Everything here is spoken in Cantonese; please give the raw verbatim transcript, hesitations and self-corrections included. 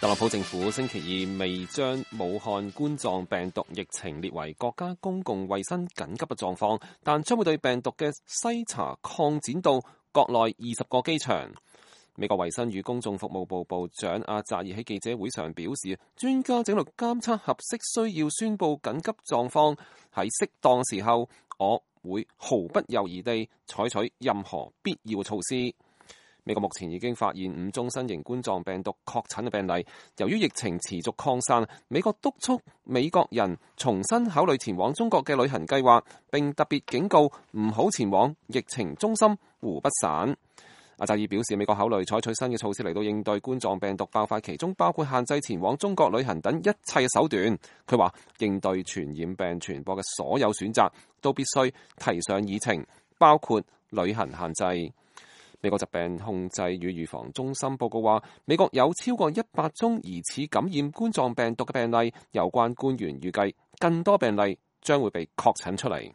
特朗普政府星期二未將武漢冠狀病毒疫情列為國家公共衛生緊急嘅狀況，但將會對病毒嘅篩查擴展到國內二十個機場。美國衛生與公眾服務部部長阿扎爾喺記者會上表示，專家正喺度監測合適需要宣布緊急狀況，喺適當時候，我會毫不猶豫地採取任何必要嘅措施。美國目前已經發現五宗新型冠狀病毒確診嘅病例。由於疫情持續擴散，美國督促美國人重新考慮前往中國嘅旅行計劃，並特別警告唔好前往疫情中心湖北省。阿扎爾表示，美國考慮採取新嘅措施嚟到應對冠狀病毒爆發，其中包括限制前往中國旅行等一切嘅手段。佢話，應對傳染病傳播嘅所有選擇都必須提上議程，包括旅行限制。美國疾病控制與預防中心報告話，美國有超過一百宗疑似感染冠狀病毒嘅病例，有關官員預計更多病例將會被確診出嚟。